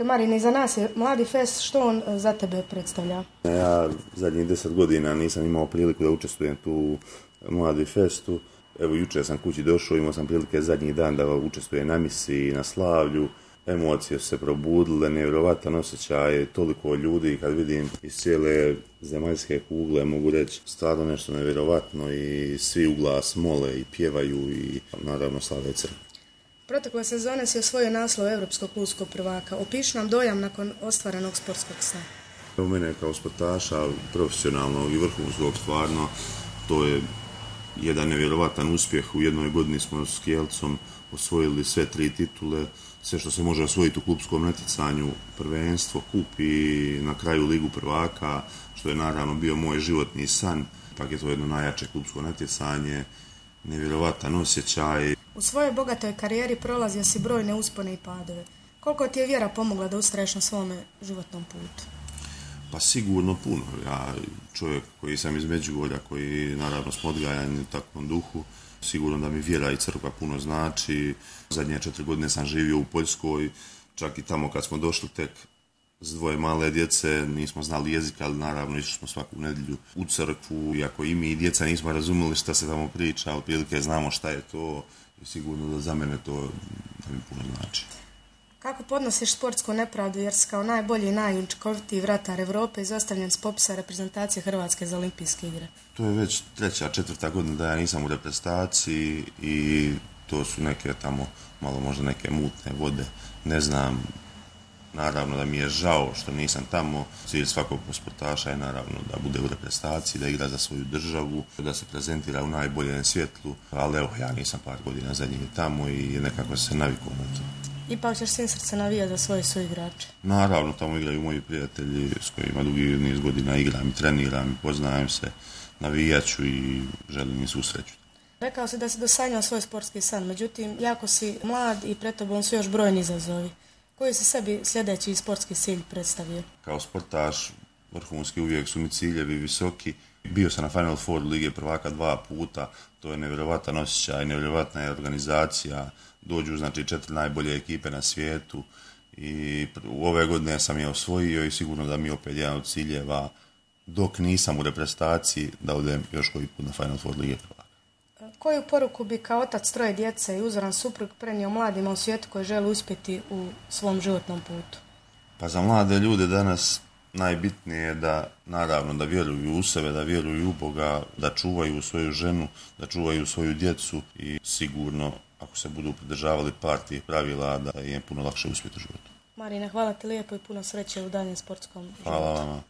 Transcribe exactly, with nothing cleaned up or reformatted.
Marine, za nas je Mladi fest, što on za tebe predstavlja? Ja zadnjih deset godina nisam imao priliku da učestvujem tu u Mladi festu. Evo, jučer sam kući došao, imao sam prilike zadnji dan da učestvujem na misiji, na slavlju. Emocije su se probudile, nevjerovatan osjećaj, toliko ljudi kad vidim iz cijele zemaljske kugle, mogu reći stvarno nešto nevjerovatno i svi u glas mole i pjevaju i naravno slave crkve. Protekle sezone si osvojio naslov Europskog klubskog prvaka. Opiši nam dojam nakon ostvarenog sportskog sna. U mene kao sportaša, profesionalnog i vrhunskog, stvarno, to je jedan nevjerovatan uspjeh. U jednoj godini smo s Kielcom osvojili sve tri titule, sve što se može osvojiti u klubskom natjecanju, prvenstvo, kup i na kraju Ligu prvaka, što je naravno bio moj životni san. Pak je to jedno najjače klubsko natjecanje, nevjerovatan osjećaj. U svojoj bogatoj karijeri prolazio si brojne uspone i padove. Koliko ti je vjera pomogla da ustraješ na svome životnom putu? Pa sigurno puno. Ja, čovjek koji sam iz Međugorja, koji naravno smo odgajani u takvom duhu, sigurno da mi vjera i crkva puno znači. Zadnje četiri godine sam živio u Poljskoj, čak i tamo kad smo došli tek s dvoje male djece, nismo znali jezika, ali naravno išli smo svaku nedjelju u crkvu, iako i mi i djeca nismo razumjeli šta se tamo priča, ali prilike znamo šta je to i sigurno da za mene to da mi puno znači. Kako podnosiš sportsku nepravdu jer si kao najbolji i najučinkovitiji vratar Europe izostavljen s popisa reprezentacije Hrvatske za olimpijske igre? To je već treća, četvrta godina da ja nisam u reprezentaciji i to su neke tamo, malo možda neke mutne vode, ne znam. Naravno da mi je žao što nisam tamo. Cilj svakog sportaša je naravno da bude u reprezentaciji, da igra za svoju državu, da se prezentira u najboljem svjetlu, ali evo, ja nisam par godina zadnjih tamo i nekako se navikao na to. Ipak ćeš svim srce navijati za svoje suigrače? Naravno, tamo igraju moji prijatelji s kojima dugi niz godina igram i treniram i poznajem se, navijaću i želim im svu sreću. Rekao si da si dosanjao svoj sportski san, međutim, jako si mlad i pred tobom su još brojni izazovi. Koji si sebi sljedeći sportski cilj predstavio? Kao sportaš, vrhunski uvijek su mi ciljevi visoki. Bio sam na Final Four Lige prvaka dva puta, to je nevjerovatan osjećaj, nevjerovatna je organizacija, dođu znači četiri najbolje ekipe na svijetu i u ove godine sam je osvojio i sigurno da mi je opet jedan od ciljeva, dok nisam u reprezentaciji, da odem još koji put na Final Four Lige prvaka. Koju poruku bi kao otac troje djece i uzoran suprug prenio mladima u svijetu koji žele uspjeti u svom životnom putu? Pa za mlade ljude danas najbitnije je da, naravno, da vjeruju u sebe, da vjeruju u Boga, da čuvaju svoju ženu, da čuvaju svoju djecu i sigurno, ako se budu pridržavali par tih pravila, da je puno lakše uspjeti u životu. Marine, hvala ti lijepo i puno sreće u daljem sportskom životu. Hvala vama.